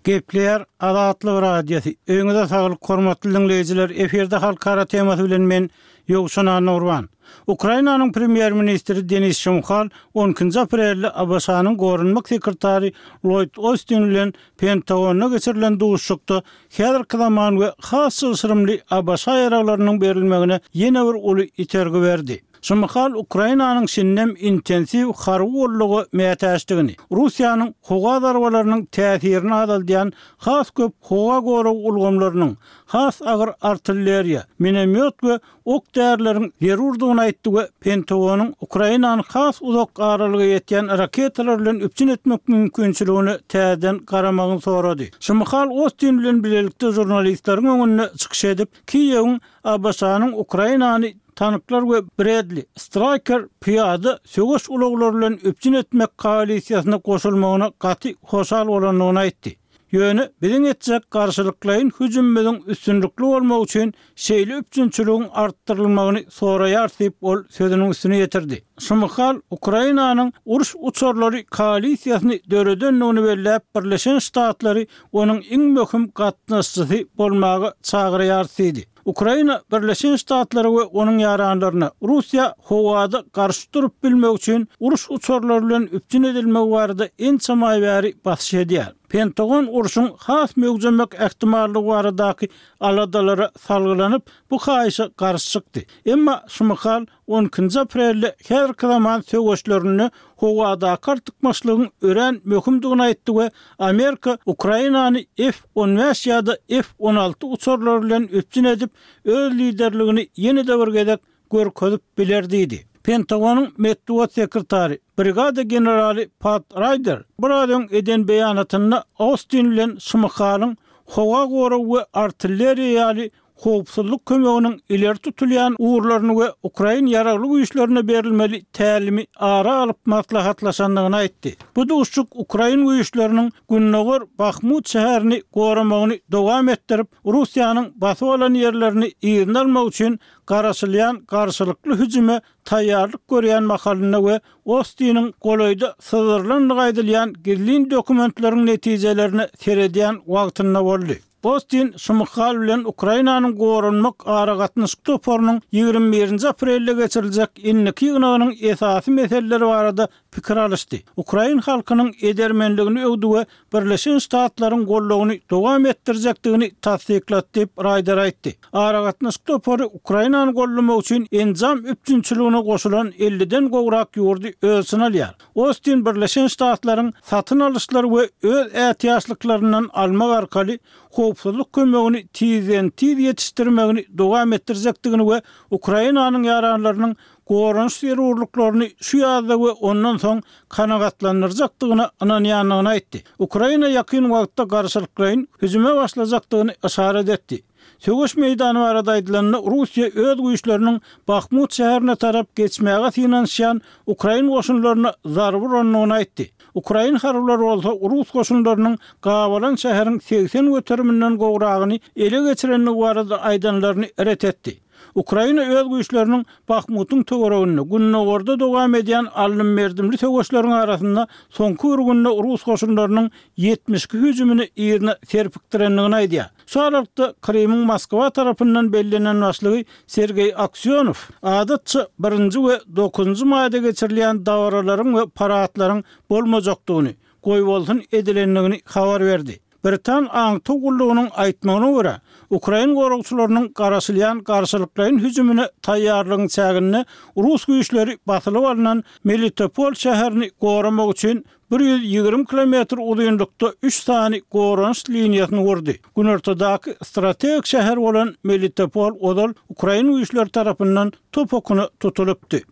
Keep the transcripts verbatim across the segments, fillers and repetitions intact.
Gepleýär Azatlyk Radiosy. Öýüňize saglyk, hormatly diňleýjiler! Efirde halkara temasy bilen men Ýowşan Annagurban. Ukrainanyň premýer-ministri Denis Şmyhal on ikinji aprelde ABŞ-nyň goranmak sekretary Lloýd Ostin bilen Pentagonda geçirilen duşuşykda häzirki zaman we has çylşyrymly ABŞ ýaraglarynyň berilmegine ýene bir uly itergi berdi. Şmyhal Ukrainanyň şindem intensiw harby goldawa mätäçdigini, Russiýanyň howa zarbalarynyň täsirini azaldýan has köp howa gorag ulgamlarynyň, has agyr artilleriýa, minomýot we ok därileriň zerurdygyny aýtdy we Pentagonyň Ukrainany has uzak aralyga ýetýän raketalar bilen üpjün etmek mümkinçiligine täzeden garamagyny sorady. Şmyhal Ostin bilen bilelikde žurnalistleriň öňünde çykyş edip, Kiýewiň ABŞ-nyň Ukrainany tanklar we Bradley Stryker pyýada söweş ulaglary bilen üpjün etmek koalisiýasyna goşulmagyna gaty hoşal bolandygyny aýtdy. Ýöne biziň etjek garşylyklaýyn hüjümimiziň üstünlikli bolmagy üçin şeýle üpjünçiligiň artdyrylmagyny soraýar diýip ol sözüniň üstüne ýetirdi. Şmyhal Ukrainanyň uruş uçarlary koalisiýasyny döredendigini belläp, Birleşen Ştatlary onuň iň möhüm gatnaşyjysy bolmaga çagyrýar diýdi. Ukraina Birleşen Ştatlary we onuň ýaranlaryna Russiýa howada garşy durup bilmek üçin uruş uçarlary bilen üpjün edilmegi barada ençe aý bäri basyş edýär. Pentagon urşuň has möwjemek ähtimallygy baradaky aladalara salgylanyp, bu haýyşa garşy çykdy. Emma Şmyhal on ikinji aprelde häzirki zaman söweşlerinde howadaky artykmaçlygyň örän möhümdigini aýtdy we Amerika Ukrainany F on bäş ýa-da F on alty uçarlary bilen üpjün edip, öz liderligini ýene-de bir gezek görkezip biler diýdi. Pentagonyň metbugat sekretary, brigada generaly Pat Ryder biraz öň eden beýanatynda Austin bilen Şmyhalyň howa goragy we artilleriýa ýaly howpsuzlyk kömeginiň ileri tutulýan ugurlaryny we Ukrain ýaragly güýçlerine berilmeli tälimi ara alyp maslahatlaşandygyny aýtdy. Bu duşuşyk Ukrain güýçleriniň Gündogar Bahmut şäherini goramagyny dowam etdirip, Russiýanyň basyp alan ýerlerini yzyna almak üçin garaşylýan garşylykly hüjüme taýýarlyk görýän mahalynda we Ostiniň golaýda syzdyrylandygy aýdylýan gizlin dokumentleriň netijelerine seredýän wagtynda boldy. Ostin Şmyhal bilen Ukrainanyň goranmak aragatnaşyk toparynyň ýigrimi birinji aprelde geçiriljek indiki ýygnagynyň esasy meseleleri barada pikir alyşdy. Ukrain halkynyň edermenligini öwdi we Birleşen Ştatlaryň goldawyny dowam etdirjekdigini tassyklady diýip Ryder aýtdy. Aragatnaşyk topary Ukrainany goldamak üçin enjam üpjünçiligine goşulan elliden gowrak ýurdy öz içine alýar. Ostin Birleşen Ştatlaryň satyn alyşlary we öz ätiýaçlyklaryndan almak arkaly howpsuzlyk kömegini tizden-tiz ýetişdirmegini dowam etdirjekdigini we Ukrainanyň ýaranlarynyň goranyş zerurlyklaryny şu ýazda we ondan soň kanagatlandyrjakdygyna ynanýandygyny aýtdy. Ukraina ýakyn wagtda garşylyklaýyn hüjüme başlajakdygyny yşarat etdi. Söweş meýdany barada aýdylanda, Russiýa öz güýçleriniň Bahmut şäherine tarap geçmäge synanyşýan ukrain goşunlaryna zarba urandygyny aýtdy. Ukrain harbylary bolsa rus goşunlarynyň gabalan şäheriň segsen göteriminden gowragyny ele geçirendigi barada aýdanlaryny ret etdi. Ukraina öz güýçleriniň Bahmutyň töwereginde Gündogarda dowam edýän alnym-berdimli söweşleriň arasynda soňky bir günde rus goşunlarynyň ýetmiş iki hüjümini yzyna serpikdirendigini aýdýar. Şu aralykda Krymyň Moskwa tarapyndan bellenen başlygy Sergeý Aksýonow adatça birinji we dokuzynjy maýda geçirilýän dabaralaryň we paradlaryň bolmajakdygyny, goýbolsun edilendigini habar berdi. Britan aňtaw gullugynyň aýtmagyna görä, ukrain goragçylarynyň garaşylýan garşylyklaýyn hüjümine taýýarlygyň çäginde rus güýçleri basylyp alnan Melitopol şäherini goramak üçin bir ýüz ýigrimi kilometr uzynlykda üç sany goranyş liniýasyny gurdy. Günortadaky strategik şäher bolan Melitopol ozal ukrain güýçleri tarapyndan top okuna tutulypdy.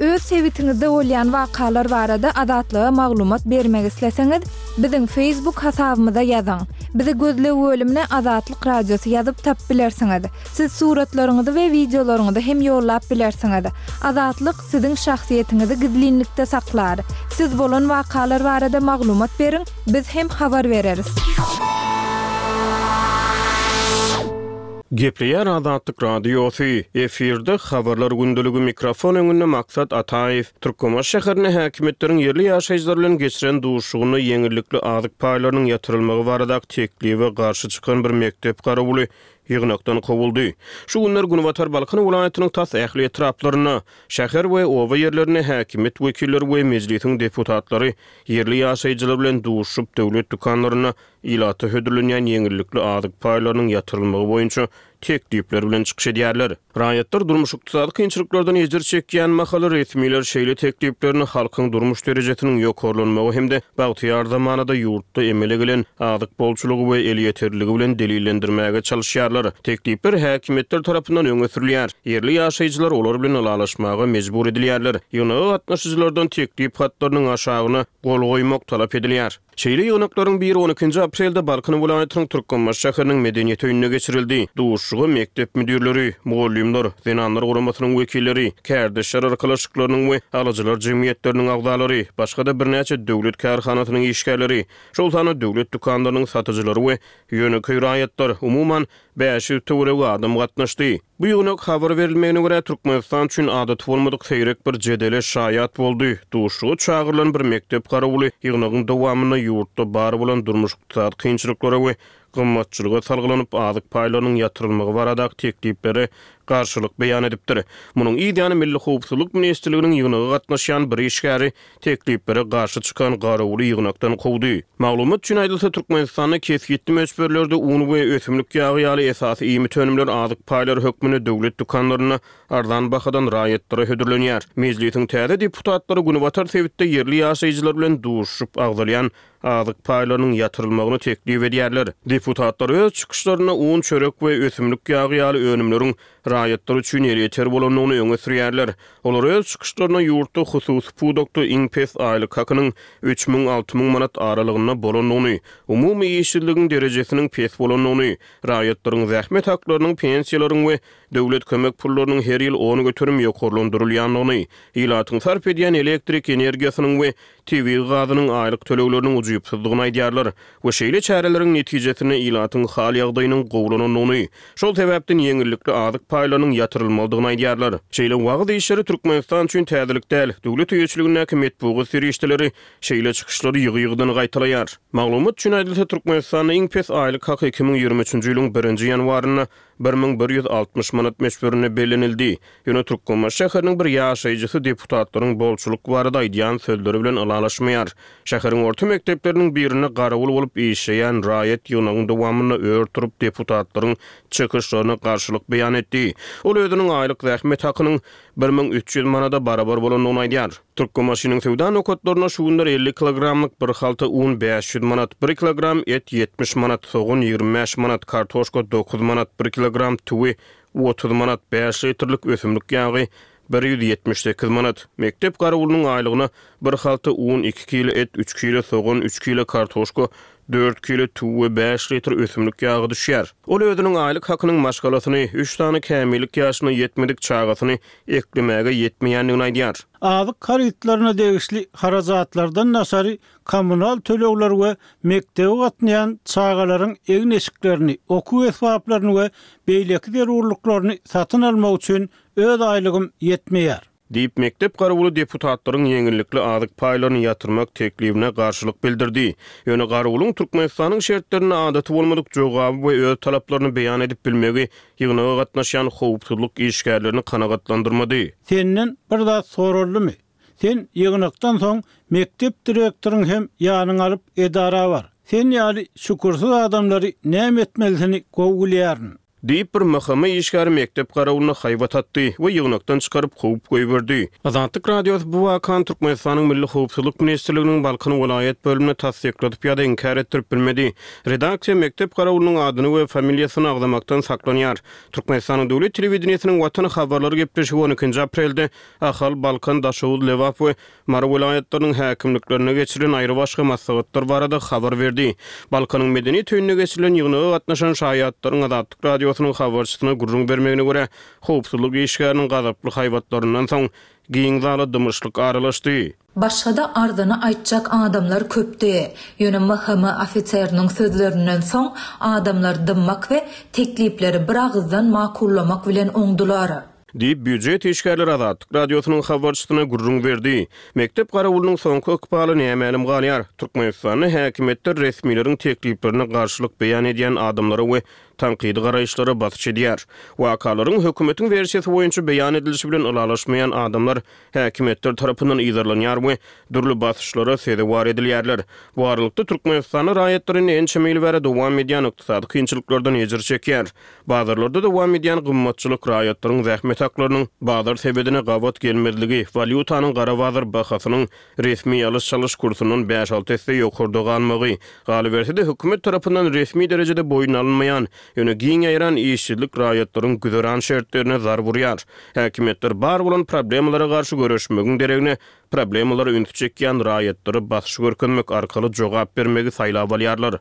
Öz sebitiňizde bolýan wakalar barada Azatlyga maglumat bermek isleseňiz, biziň Facebook hasabymyza ýazyň. Bizi gözleg bölümine Azatlyk Radiosy ýazyp tapyp bilersiňiz. Siz suratlaryňyzy we wideolaryňyzy hem ýollap bilersiňiz. Azatlyk siziň şahsyýetiňizi gizlinlikde saklar. Siz bolan wakalar barada maglumat beriň, biz hem habar bereris. Gepleýär Azatlyk Radiosy, efirde Habarlar gündeligi, mikrofon öňünde Maksat Ataýew. Türkmenbaşy şäherinde häkimiýetleriň ýerli ýaşaýjylar bilen geçiren duşuşygynda ýeňillikli azyk paýlarynyň ýatyrylmagy baradaky teklibe garşy çykan bir mekdep garawuly ýygnakdan kowuldy. Şu günler günbatar Balkan welaýatynyň tas ähli etraplarynda, şäher we oba ýerlerinde häkimiýet wekilleri we Mejlisiň deputatlary ýerli ýaşaýjylar bilen duşuşyp, döwlet dükanlarynda ilata hödürlenýän ýeňillikli azyk paýlarynyň ýatyrylmagy boýunça teklipler bilen çykyş edýärler. Raýatlar durmuş-ykdysady kynçylyklardan ejir çekýän mahaly resmiler şeýle tekliplerini halkyň durmuş derejesiniň ýokarlanmagy hem-de bagtyýar zamanada ýurtda emele gelen azyk bolçulygy we elýeterliligi bilen delillendirmäge çalyşýarlar. Teklipler häkimiýetler tarapyndan öňe sürülýär. Ýerli ýaşaýjylar olar bilen ylalaşmaga mejbur edilýärler. Ýygnaga gatnaşyjylardan teklip hatlarynyň aşagyna gol goýmak talap edilýär. Şeýle ýygnaklaryň biri on ikinji aprelde Balkan welaýatynyň Türkmenbaşy şäheriniň Medeniýet öýünde geçirildi. Duşuşyga mekdep müdirleri, mugallymlar, zenanlar guramasynyň wekilleri, kärdeşler arkalaşyklarynyň we alyjylar jemgyýetleriniň agzalary, başga-da birnäçe döwlet kärhanasynyň işgärleri, şol sanda döwlet dükanlarynyň satyjylary we ýönekeý raýatlar, umuman bäş ýüz töweregi adam gatnaşdy. Bu ýygnak habar berilmegine görä Türkmenistan üçin adaty bolmadyk seýrek bir jedele şaýat boldy. Duşuşyga çagyrylan bir mekdep garawuly ýygnagyň dowamynda ýurtda bar bolan durmuş-ykdysady kynçylyklara we gymmatçylyga salgylanyp azyk paýlarynyň ýatyrylmagy baradaky tekliplere garşylyk beýan edipdir. Munuň yz ýany Milli Howpsuzlyk Ministrliginiň ýygnaga gatnaşýan bir işgäri tekliplere garşy çykan garawuly ýygnakdan kowdy. Maglumat üçin aýdylsa, Türkmenistanda kesgitli möçberlerde un we ösümlik ýagy ýaly esasy iýmit önümler azyk paýlary hökmünde döwlet dükanlarynda arzan bahadan raýatlara hödürlenýär. Mejlisiň täze deputatlary Günbatar sebitde ýerli ýaşaýjylar bilen duşuşyp agzalýan azyk paýlarynyň ýatyrylmagyny teklip edýärler. Deputatlar öz çykyşlarynda un, çörek we ösümlik ýagy ýaly önümleriň raýatlar üçin elýeter bolandygyny öňe sürýärler. Olar öz çykyşlarynda ýurtda hususy pudakda iň pes aýlyk hakynyň üç müň alty müň manat aralygynda bolandygyny, umumy işsizligiň derejesiniň pes bolandygyny, raýatlaryň zähmet haklarynyň, pensiýalaryň we döwlet kömek pullarynyň her ýyl on göterim ýokarlandyrylýandygyny, ilatyň sarp edýän elektrik energiýasynyň we tebigy gazynyň aýlyk tölegleriniň ujypsyzdygyny aýdýarlar we şeýle çäreleriň netijesinde ilatyň hal ýagdaýynyň gowulanandygyny, şol sebäpden ýeňillikli azyk paýlarynyň ýatyrylmalydygyny aýdýarlar. Şeýle wagyz işleri Türkmenistan üçin täzelik däl. Döwlet eýeçiligindäki metbugat serişdeleri şeýle çykyşlary ýygy-ýygydan gaýtalaýar. Maglumat üçin aýdylsa, Türkmenistanda iň pes aýlyk haky iki müň ýigrimi üçünji ýylyň birinji ýanwarynda bir müň bir ýüz altmyş manat möçberinde bellenildi. Ýöne Türkmenbaşy şäheriniň bir ýaşaýjysy deputatlaryň bolçulyk barada aýdýan sözleri bilen ylalaşmaýar. Şäheriň orta mekdepleriniň birinde garawul bolup işleýän raýat ýygnagyň dowamynda ör turup deputatlaryň çykyşlaryna garşylyk beýan etdi. Ol özüniň aýlyk zähmet hakynyň bir müň üç ýüz manada barabar bolandygyny aýdýar. Türkmenbaşynyň söwda nokatlarynda şu günler elli kilogramlyk bir halta un bäş ýüz manat, bir kilogram et ýetmiş manat, sogan ýigrimi bäş manat, kartoşka dokuz manat, bir kilogram tüwi otuz manat, bäş litrlik ösümlik ýagy bir ýüz ýetmiş sekiz manat. Mekdep garawulynyň aýlygyna bir halta un, iki kilo et, üç kilo sogan, üç kilo kartoşka, dört kilo tüwi we bäş litr ösümlik ýagy düşýär. Ol özüniň aýlyk hakynyň maşgalasyny, üç sany kämillik ýaşyna ýetmedik çagasyny eklemäge ýetmeýändigini aýdýar. Azyk harytlaryna degişli harajatlardan daşary kommunal tölegler we mekdebe gatnaýan çagalaryň egin-eşiklerini, okuw esbaplaryny we beýleki zerurlyklaryny satyn almak üçin öz aýlygym ýetmeýär. Diýip, mekdep garawuly deputatlaryň ýeňillikli azyk paýlaryny ýatyrmak teklibine garşylyk bildirdi. Ýöne garawulyň Türkmenistanyň şertlerinde adaty bolmadyk jogaby we öz talaplaryny beýan edip bilmegi ýygnaga gatnaşýan howpsuzlyk işgärlerini kanagatlandyrmady. Senden bir zat soraldymy? Sen ýygnakdan soň mekdep direktoryň hem ýanyň alyp edara bar. Sen ýaly şükürsiz adamlary näme etmelisini gowy bilýärin. Diýip bir M H M işgäri mekdep garawulyna haýbat atdy we ýygnakdan çykaryp kowup goýberdi. Azatlyk Radiosy bu wakany Türkmenistanyň Milli Howpsuzlyk Ministrliginiň Balkan welaýat bölümine tassykladyp ýa-da inkär etdirip bilmedi. Redaksiýa mekdep garawulynyň adyny we familiýasyny agzamakdan saklanýar. Türkmenistanyň Döwlet telewideniýesiniň Watan habarlary gepleşigi on ikinji aprelde Ahal, Balkan, Daşoguz, Lebap we Mary welaýatlarynyň häkimliklerine geçirilen aýry başga maslahatlar barada habar berdi. Balkanyň Medeniýet öýünde geçirilen ýygnaga gatnaşan şaýatlaryň Azatlyk Radiosynyň habarçysyna gürrüň bermegine görä, howpsuzlyk işgäriniň gazaply haýbatlaryndan soň giň zala dymyşlyk aralaşdy. Başga-da arzyny aýtjak adamlar köpdi. Ýöne M H M ofiseriniň sözlerinden soň adamlar dymmak we teklipleri biragyzdan makullamak bilen oňdular. Diýip, býujet işgärleri Azatlyk Radiosynyň habarçysyna gürrüň berdi. Mekdep garawulynyň soňky ykbaly nämälim galýar. Türkmenistanda häkimiýetler resmileriň tekliplerine garşylyk beýan edýän adamlara we tankydy garaýyşlara basyş edýär. Wakalaryň hökümetiň wersiýasy boýunça beýan edilişi bilen ylalaşmaýan adamlar häkimiýetler tarapyndan yzarlanýar we dürli basyşlara sezewar edilýärler. Bu aralykda, Türkmenistanda raýatlar indi ençeme ýyl bäri dowam edýän ykdysady kynçylyklardan ejir çekýär. Bazarlarda dowam edýän gymmatçylyk, raýatlaryň zähmet haklarynyň bazar sebedine gabat gelmezligi, walýutanyň gara bazar bahasynyň resmi alyş-çalyş kursundan bäş-alty esse ýokarda galmagy, galyberse-de hökümet tarapyndan resmi derejede boýun alynmaýan, ýöne giň ýaýran işsizlik raýatlaryň güzeran şertlerine zarb urýar. Häkimiýetler bar bolan problemalara garşy göreşmegiň deregine problemalara ünsi çekýän raýatlara basyş görkezmek arkaly jogap bermegi saýlap alýarlar.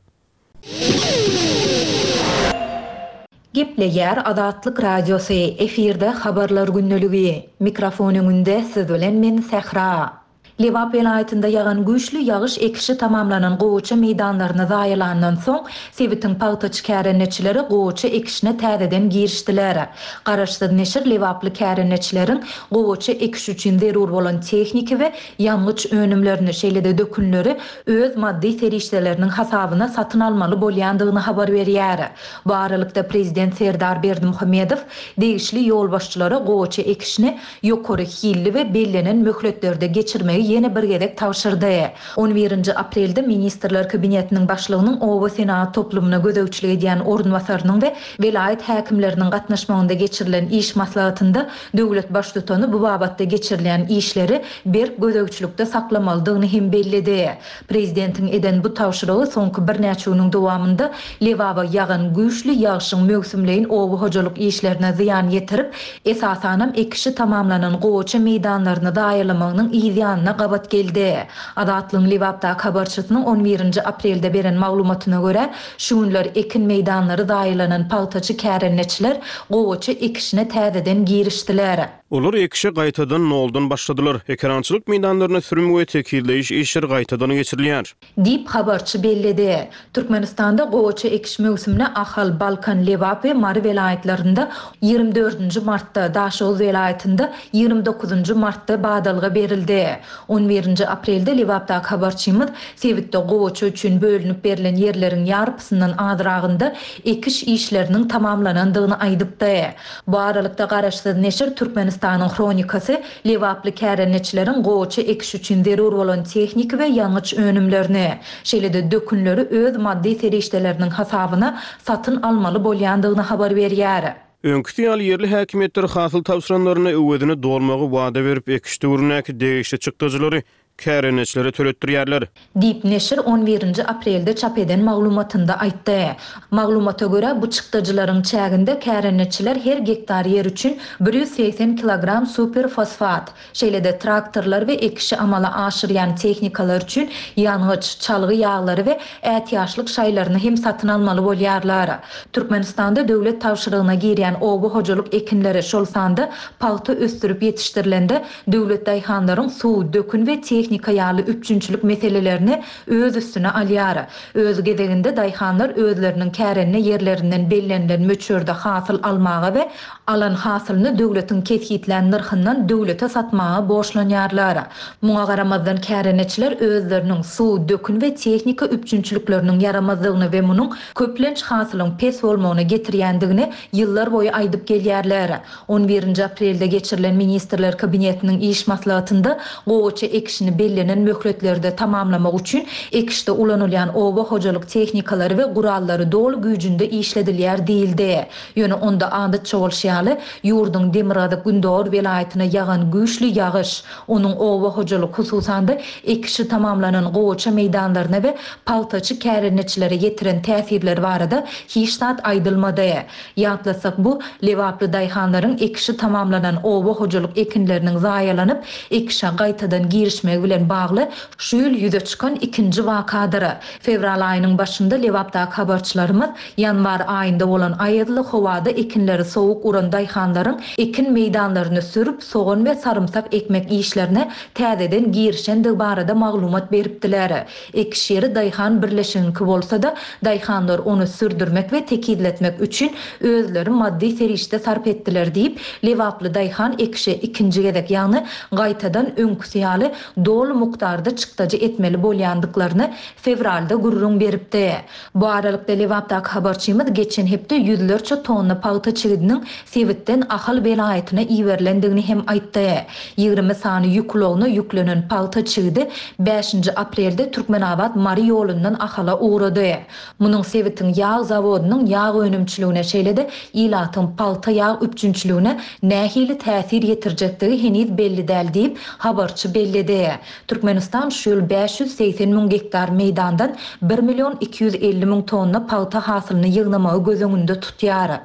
Gepleýär Azatlyk Radiosy, efirde Habarlar gündeligi. Mikrofon öňünde siz bilen men Sähra. Lebap welaýatynda ýagan güýçli ýagyş ekişi tamamlanan gowaça meýdanlaryny zaýalandan soň, sebitiň pagtaçy kärendeçileri gowaça ekişine täzeden girişdiler. Garaşsyz neşir lebaply kärendeçileriň gowaça ekiş üçin zerur bolan tehniki we ýangyç önümlerini, şeýle-de dökünleri öz maddy serişdeleriniň hasabyna satyn almaly bolýandygyny habar berýär. Bu aralykda prezident Serdar Berdimuhamedow degişli ýolbaşçylara gowaça ekişini ýokary hilli we bellenen möhletlerde geçirmegi ýene bir gezek tabşyrdy. On birinji aprelde Ministrler Kabinetiniň başlygynyň oba senagat toplumyna gözegçilik edýän orunbasarynyň we welaýat häkimleriniň gatnaşmagynda geçirilen iş maslahatynda döwlet baştutany bu babatda geçirilýän işleri berk gözegçilikde saklamalydygyny hem belledi. Prezidentiň eden bu tabşyrygy soňky birnäçe günüň dowamynda Lebaba ýagan güýçli ýagyşyň möwsümleýin oba hojalyk işlerine zyýan ýetirip, esasanam ekişi tamamlanan gowaça meýdanlaryny zaýalamagynyň yz ýanyna gabat geldi. Azatlygyň Lebapdaky habarçysynyň on birinji aprelde beren maglumatyna görä, şu günler ekin meýdanlary zaýalanan pagtaçy kärendeçiler gowaça ekişine täzeden girişdiler. Olar ekişe gaýtadan noldan başladylar. Ekerançylyk meýdanlaryna sürüm we tekizleýiş işleri gaýtadan geçirilýär. Diýip, habarçy belledi. Türkmenistanda gowaça ekiş möwsümine Ahal, Balkan, Lebap we Mary welaýatlarynda ýigrimi dördünji martda, Daşoguz welaýatynda ýigrimi dokuzynjy martda badalga berildi. On birinji aprelde Lebapdaky habarçymyz sebitde gowaça üçin bölünip berlen ýerleriň ýarpysyndan azragynda ekiş işleriniň tamamlanandygyny aýdypdy. Bu aralykda garaşsyz neşir Türkmenistanyň Hronikasy lebaply kärendeçileriň gowaça ekiş üçin zerur bolan tehniki we ýangyç önümlerini, şeýle-de dökünleri öz maddy serişdeleriniň hasabyna satyn almaly bolýandygyny habar berýär. Öňküsi ýaly ýerli häkimiýetler hasyl tabşyranlaryna öwezini dolmagy wada berip, ekiş döwründäki degişli çykdajylary kärendeçilere töletdirýärler. Diýip, neşir on birinji aprelde çap eden maglumatynda aýtdy. Maglumata görä, bu çykdajylaryň çäginde kärendeçiler her gektar ýer üçin bir ýüz segsen kilogram superfosfat, şeýle-de traktorlar we ekişi amala aşyrýan tehnikalar üçin ýangyç, çalgy ýaglary we ätiýaçlyk şaýlaryny hem satyn almaly bolýarlar. Türkmenistanda döwlet tabşyrygyna girýän oba hojalyk ekinleri, şol sanda pagta ösdürip ýetişdirilende döwlet daýhanlaryň suw, dökün we tehnika ýaly üpjünçilik meselelerini öz üstüne alýar. Öz gezeginde daýhanlar özleriniň kärende ýerlerinden bellenilen möçberde hasyl almaga we alan hasylyny döwletiň kesgitlän nyrhyndan döwlete satmaga borçlanýarlar. Muňa garamazdan kärendeçiler özleriniň suw, dökün we tehnika üpjünçilikleriniň ýaramazlygyny we munuň köplenç hasylyň pes bolmagyna getirýändigini ýyllar boýy aýdyp gelýärler. On birinji aprelde geçirilen Ministrler Kabinetiniň iş maslahatynda gowaça ekişini bellenen möhletlerde tamamlamak üçin ekişde ulanylýan oba hojalyk tehnikalary we gurallary doly güýjünde işledilýär diýildi. Ýöne onda adatça bolşy ýaly, ýurduň Demirgazyk Gündogar welaýatyna ýagan güýçli ýagyş, onuň oba hojalyk, hususan-da ekişi tamamlanan gowaça meýdanlaryna we pagtaçy kärendeçilere ýetiren täsirleri barada hiç zat aýdylmady. Ýatlasak, bu lebaply daýhanlaryň ekişi tamamlanan oba hojalyk ekinleriniň zaýalanyp, ekişe gaýtadan girişmegi ýetmezligi bilen bagly şu ýyl ýüze çykan ikinji wakadyr. Fewral aýynyň başynda Lebapdaky habarçylarymyz ýanwar aýynda bolan aýazly howada ekinleri sowuk uran daýhanlaryň ekin meýdanlaryny sürüp, sogan we sarymsak ekmek işlerine täzeden girişendigi barada maglumat beripdiler. Ekiş ýeri daýhan birleşigiňki bolsa-da, daýhanlar ony sürdürmek we tekizletmek üçin özleri maddy serişde sarp etdiler diýip, lebaply daýhan ekişe ikinji gezek, ýagny gaýtadan öňküsi ýaly doly mukdarda çykdajy etmeli bolýandyklaryny fewralda gürrüň beripdi. Bu aralykda, Lebapdaky habarçymyz geçen hepde ýüzlerçe tonna pagta çigidiniň sebitden Ahal welaýatyna iberilendigini hem aýtdy. Ýigrimi sany ýük ulagyna ýüklenen pagta çigidi bäşinji aprelde Türkmenabat-Mary ýolundan Ahala ugrady. Munuň sebitiň ýag zawodynyň ýag önümçiligine, şeýle-de ilatyň pagta ýag üpjünçiligine nähili täsir ýetirjekdigi heniz belli däl diýip, habarçy belledi. Türkmenistan şu ýyl bäş ýüz segsen müň gektar meýdandan bir million iki ýüz elli müň tonna pagta hasylyny ýygnamagy göz öňünde tutýar.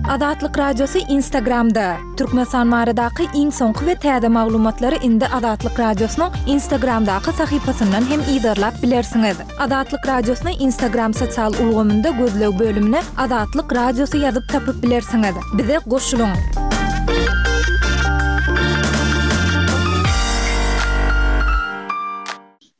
Azatlyk Radiosy Instagramda! Türkmenistan baradaky iň soňky we täze maglumatlary indi Azatlyk Radiosynyň Instagramdaky sahypasyndan hem yzarlap bilersiňiz. Azatlyk Radiosyny Instagram sosial ulgamynda gözleg bölümine Azatlyk Radiosy ýazyp tapyp bilersiňiz. Bize goşulyň!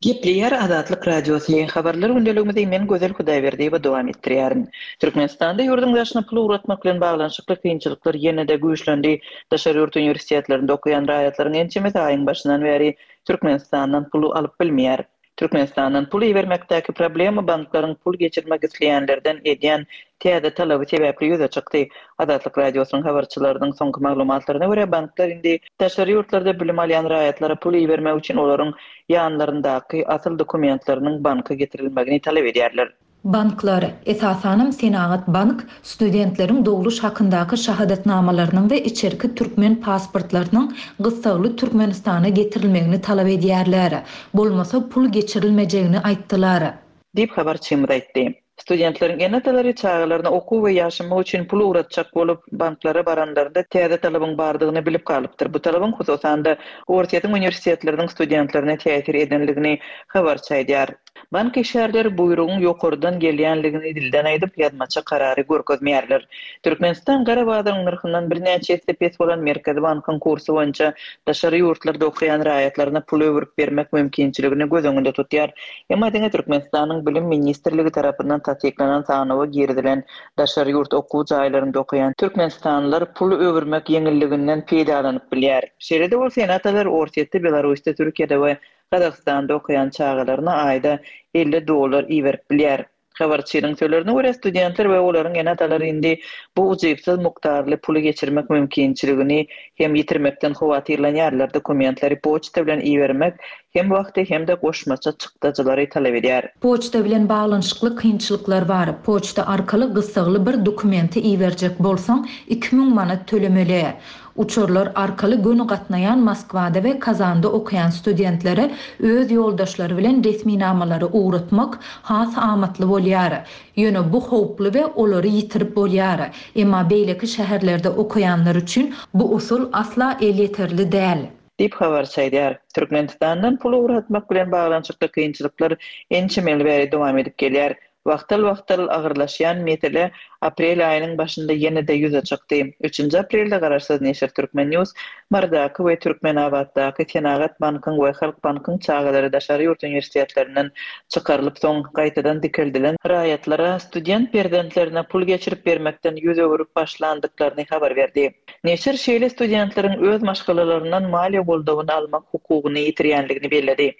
Gepleýär Azatlyk Radiosy, Habarlar gündeligimizi men Gözel Hudaýberdiýewa dowam etdirýärin. Türkmenistanda ýurduň daşyna pul ugratmak bilen baglanyşykly kynçylyklar ýene-de güýçlendi. Daşary ýurt uniwersitetlerinde okaýan raýatlaryň ençemesi aýyň başyndan bäri Türkmenistandan pul alyp bilmeýär. Türkmenistandan pul ibermekdäki problema banklaryň pul geçirmek isleýänlerden edýän täze talaby sebäpli ýüze çykdy. Azatlyk Radiosynyň habarçylarynyň soňky maglumatlaryna görä, banklar indi daşary ýurtlarda bilim alýan raýatlara pul ibermek üçin olaryň ýanlaryndaky asyl dokumentleriniň banka getirilmegini talap edýärler. Banklar, esasanam Senagat bank studentleriň dogluş hakyndaky şahadatnamalarynyň we içerki türkmen pasportlarynyň gyssagly Türkmenistana getirilmegini talap edýärler. Bolmasa pul geçirilmejegini aýtdylar. Diýip, habarçymyz aýtdy. Studentleriň ene-atalary çagalaryna okuw we ýaşamak üçin pul ugratjak bolup, banklara baranlarynda täze talabyň bardygyny bilip galypdyr. Bu talabyň, hususan-da, Orsýetiň uniwersitetleriniň studentlerine täsir edenligini habarçy aýdýar. Bank işgärleri buýrugyň ýokardan gelýänligini dilden aýdyp, ýazmaça karary görkezmeýärler. Türkmenistan gara bazaryň nyrhyndan birnäçe esse pes bolan Merkezi bankyň kursy boýunça daşary ýurtlarda okaýan raýatlaryna pul öwürip bermek mümkinçiligini göz öňünde tutýar. Emma diňe Türkmenistanyň Bilim ministrligi tarapyndan tassyklanan sanawa girizilen daşary ýurt okuw jaýlarynda okaýan türkmenistanlylar pul öwürmek ýeňilliginden peýdalanyp bilýär. Şeýle-de bolsa, ene-atalar Orsýetde, Belarusda, Türkiýede we Gazagystanda okaýan çagalaryna aýda elli dollar iberip bilýär. Habarçynyň sözlerine görä, studentler we olaryň ene-atalary indi bu ujypsyz mukdarly puly geçirmek mümkinçiligini hem ýitirmekden howatyrlanýarlar, dokumentleri poçta bilen ibermek hem wagty hem-de goşmaça çykdajylary talap edýär. Poçta bilen baglanyşykly kynçylyklar bar. Poçta arkaly gyssagly bir dokumenti iberjek bolsaň, iki müň manat tölemeli. Uçarlar arkaly göni gatnaýan Moskwada we Kazanda okaýan studentlere öz ýoldaşlary bilen resminamalary ugratmak has amatly bolýar. Ýöne bu howply we olary ýitirip bolýar. Emma beýleki şäherlerde okaýanlar üçin bu usul asla elýeterli däl. Diýip, habarçy aýdýar. Türkmenistandan pul ugratmak bilen baglanyşykly kynçylyklar ençeme ýyl bäri dowam edip gelýär. Wagtal-wagtal agyrlaşýan mesele aprel aýynyň başynda ýene-de ýüze çykdy. Üçünji aprelde garaşsyz neşir Turkmen. News Marydaky we Türkmenabatdaky Senagat bankyň we Halk bankyň çagalary daşary ýurt uniwersitetlerinden çykarylyp soň gaýtadan dikeldilen raýatlara student perzentlerine pul geçirip bermekden ýüz öwrüp başlandyklaryny habar berdi. Neşir şeýle studentleriň öz maşgalalaryndan maliýe goldawyny almak hukugyny ýitirýändigini belledi.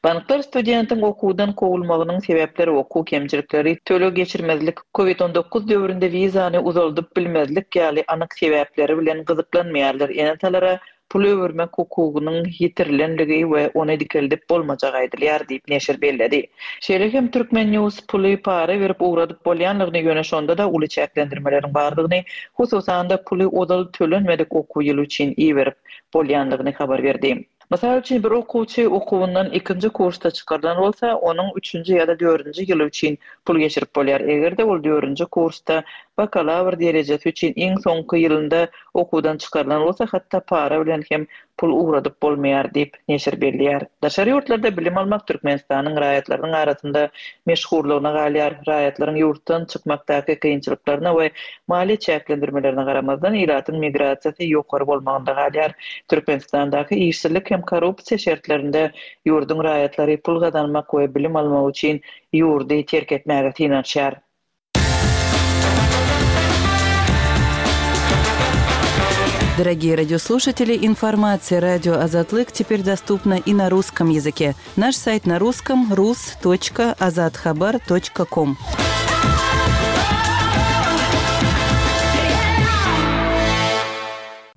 Banklar studentiň okuwdan kowulmagynyň sebäpleri okuw kemçilikleri, töleg geçirmezlik, Covid on dokuz döwründe wizany uzaldyp bilmezlik ýaly anyk sebäpleri bilen gyzyklanmaýarlar, ene-atalara pul öwürmek hukugynyň ýitirilenligi we ony dikeldip bolmajagy aýdylýar diýip, neşir belledi. Şeýle hem Turkmen. News puly para berip ugradyp bolýanlygyny, ýöne şonda-da uly çäklendirmeleriň bardygyny, hususan-da, puly ozal tölenmedik okuw ýyly üçin iberip bolýanlygyny habar berdi. Mysal üçin, bir okuwçy okuwyndan ikinji kursda çykarylan bolsa, onuň üçünji ýa-da dördünji ýyly üçin pul geçirip bolýar. Eger-de ol dördünji kursda bakalawr derejesi üçin iň soňky ýylynda okuwdan çykarylan bolsa, hatda para bilen hem pul ugradyp bolmaýar diýip, neşir belleýär. Daşary ýurtlarda bilim almak Türkmenistanyň raýatlarynyň arasynda meşhurlygyna galýar. Raýatlaryň ýurtdan çykmakdaky kynçylyklaryna we maliýe çäklendirmelerine garamazdan, ilatyň migrasiýasy ýokary bolmagynda galýar. Türkmenistandaky işsizlik hem korrupsiýa şertlerinde ýurduň raýatlary pul gazanmak we bilim almak üçin ýurdy terk etmäge synanyşýar. Дорогие радиослушатели, информация радио Азатлык теперь доступна и на русском языке. Наш сайт на русском rus.azathabar.com.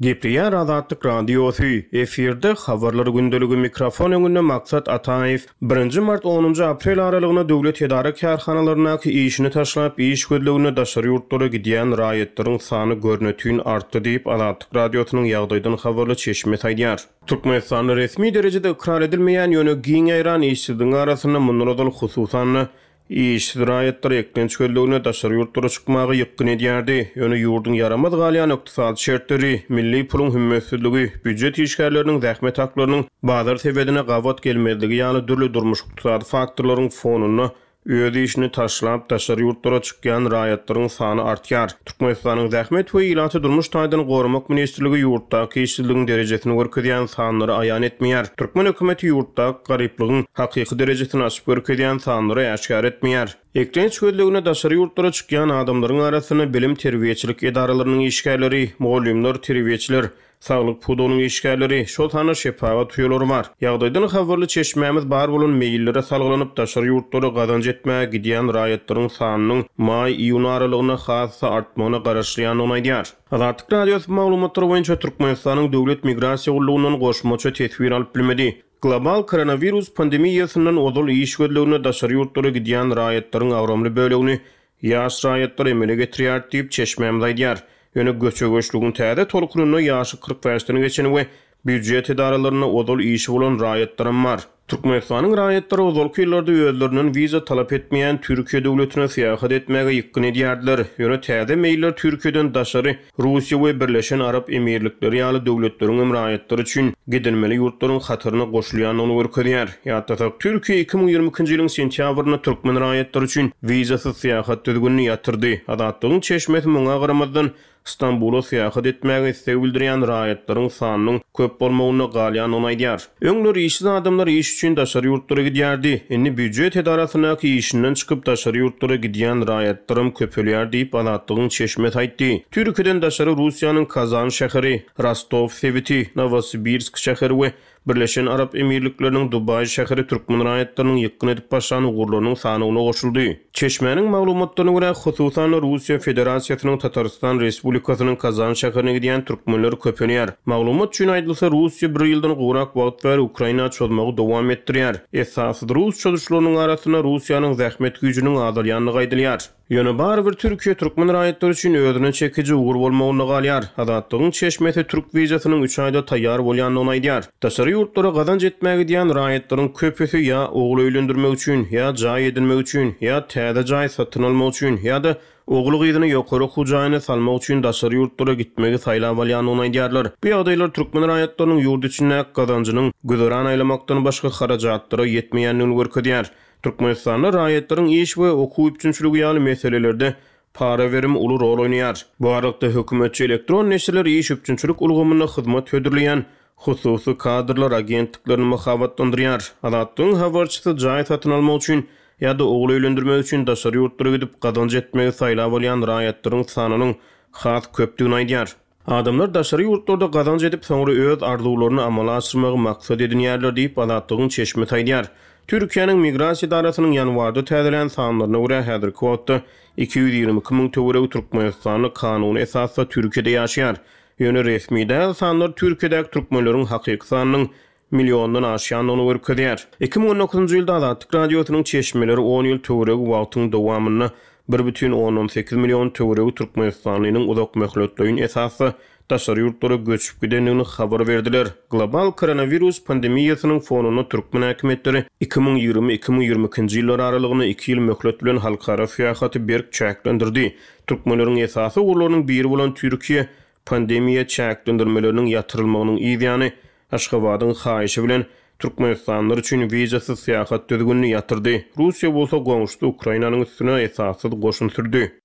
Gepleýär Azatlyk Radiosy, efirde habarlar gündeligi mikrofon öňünde Maksat Ataýew. Birinji mart onunjy aprel aralygynda döwlet edara kärhanalaryndaky işini taşlap iş gözlegine daşary ýurtlara gidýän raýatlaryň sany görnetün artdy diýip Azatlyk Radiosynyň ýagdaýdan habarly çeşmesi aýdýar. Türkmenistanda resmi derejede ykrar edilmeýän ýöne giň ýaýran işsizligiň arasynda mundan ozal hususan işsiz raýatlar eklenç gözlegine daşary ýurtlara çykmaga ýykgyn edýärdi. Ýöne ýurduň ýaramaz galýan ykdysady şertleri, milli puluň hümmetsizligi, býujet işgärleriniň zähmet haklarynyň bazar sebedine gabat gelmezligi ýaly dürli durmuş ykdysady faktorlaryň fonunda öz işini taşlap daşary ýurtlara çykýan raýatlaryň sany artýar. Türkmenistanyň Zähmet we Ilaty Durmuş taýdan goramak ministrligi ýurtdaky işsizligiň derejesini görkezýän sanlary aýan etmeýär. Türkmen hökümeti ýurtdaky garyplygyň hakyky derejesini açyp görkezýän sanlary äşgär etmeýär. Eklenç gözlegine daşary ýurtlara çykýan adamlaryň arasynda bilim terbiýeçilik edaralarynyň işgärleri, mugallymlar, terbiýeçiler, saglyk pudagynyň işgärleri, şol sanda şepagat uýalary bar. Ýagdaýdan habarly çeşmämiz bar bolan meýillere salgylanyp daşary ýurtlara gazanç etmäge gidýän raýatlaryň sanynyň maý-iýun aralygynda has-da artmagyna garaşylýandygyny aýdýar. Azatlyk Radiosy maglumatlary boýunça Türkmenistanyň Döwlet Migrasiýa Gullugyndan goşmaça teswir alyp bilmedi. Global koronawirus pandemiýasyndan ozal iş gözlegine daşary ýurtlara gidýän raýatlaryň agramly bölegini ýaş raýatlar emele getirýär diýip çeşmämiz aýdýar. Ýöne göçe-göçlügiň täze tolkunynda ýaşy kyrk bäşden geçen we býujet edaralarynda ozal işi bolan raýatlaram bar. Türkmenistanyň raýatlary ozalky ýyllarda özlerinden wiza talap etmeýän Türkiýe döwletine syýahat etmäge ýykgyn edýärdiler. Ýöne täze meýiller Türkiýeden daşary Russiýa we Birleşen Arap Emirlikleri ýaly döwletleriň hem raýatlary üçin gidilmeli ýurtlaryň hataryna goşulýandygyny görkezýär. Ýatlasak, Türkiýe iki müň ýigrimi ikinji ýylyň sentýabrynda türkmen raýatlary üçin wizasyz syýahat düzgünini ýatyrdy. Azatlygyň çeşmesi muňa garamazdan Stambula syýahat etmäge isleg bildirýän raýatlaryň sanynyň köp bolmagynda galýandygyny aýdýar. Öňler işsiz adamlar iş üçin daşary ýurtlara gidýärdi. Indi býujet edarasyndaky işinden çykyp daşary ýurtlara gidýän raýatlaram köpelýär diýip Azatlygyň çeşmesi aýtdy. Türkiýeden daşary Russiýanyň Kazan şäheri, Rostow sebiti, Nowosibirsk şäheri we Birleşen Arap Emirlikleriniň Dubaý şäheri türkmen raýatlarynyň ýykgyn edip başlan ugurlarynyň sanyna goşuldy. Çeşmäniň maglumatlaryna görä, hususan Russiýa Federasiýasynyň Tatarstan Respublikasynyň Kazan şäherine gidýän türkmenler köpelýär. Maglumat üçin aýdylsa, Russiýa bir ýyldan gowrak wagt bäri Ukraina çozmagy dowam etdirýär. Esasy rus çozuşlarynyň arasynda Russiýanyň zähmet güýjüniň azalýandygy aýdylýar. Ýöne barybir Türkiýe türkmen raýatlary üçin özüne çekiji ugur bolmagynda galýar. Azatlygyň çeşmesi türk wizasynyň üç aýda taýýar bolýandygyny aýdýar. Daşary ýurtlara gazanç etmäge gidýän raýatlaryň köpüsi ýa ogul öýlendirmek üçin, ýa jaý edinmek üçin, ýa täze jaý satyn almak üçin, ýa-da ogul gyzyny ýokary okuw jaýyna salmak üçin daşary ýurtlara gitmegi saýlap alýandygyny aýdýarlar. Bu ýagdaýlar türkmen raýatlarynyň ýurt içindäki gazanjynyň güzeran aýlamakdan başga harajatlara ýetmeýändigini görkezýär. Türkmenistanda raýatlaryň iş we okuw üpjünçiligi ýaly meselelerde para berim uly rol oýnaýar. Bu aralykda hökümetçi elektron neşirler iş üpjünçilik ulgamynda hyzmat hödürleýän hususy kadrlar agentliklerini mahabatlandyrýar. Azatlygyň habarçysy jaý satyn almak üçin ýa-da ogul öýlendirmek üçin daşary ýurtlara gidip gazanç etmegi saýlap alýan raýatlaryň sanynyň has köpdügini aýdýar. Adamlar daşary ýurtlarda gazanç edip soňra öz arzuwlaryny amala aşyrmagy maksat edinýärler diýip Azatlygyň çeşmesi aýdýar. Türkiýäniň Migrasiýa edarasynyň ýanwarda täzelän sanlaryna görä häzirki wagtda iki ýüz ýigrimi iki müň töweregi Türkmenistanda kanuny esasda Türkiýede ýaşaýar. Ýöne resmi däl sanlar Türkiýedäki türkmenleriň hakyky sanynyň milyondan aşýandygyny görkezýär. Iki müň on dokuzynjy ýylda Azatlyk Radiosynyň çeşmeleri on ýyl töweregi wagtyň dowamynda bir bütin ondan sekiz million töweregi türkmenistanlynyň uzak möhletleýin esasda daşary ýurtlara göçüp gidendigini habar berdiler. Global koronawirus pandemiýasynyň fonunda türkmen häkimiýetleri iki müň ýigrimi, iki müň ýigrimi ikinji ýyllar aralygynda iki ýyl möhlet bilen halkara syýahaty berk çäklendirdi. Türkmenleriň esasy ugurlarynyň biri bolan Türkiýe pandemiýa çäklendirmeleriniň ýatyrylmagynyň yz ýany Aşgabadyň haýyşy bilen türkmenistanlylar üçin wizasyz syýahat düzgünini ýatyrdy. Russiýa bolsa goňşusy Ukrainanyň üstüne esassyz goşun sürdi.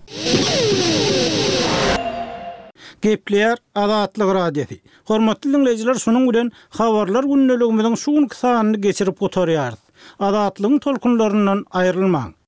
Gepleýär Azatlyk Radiosy. Hormatly diňleýjiler, şunuň bilen habarlar gündeligimiziň şu günki sanyny geçirip gutarýarys. Azatlygyň tolkunlaryndan aýrylmaň.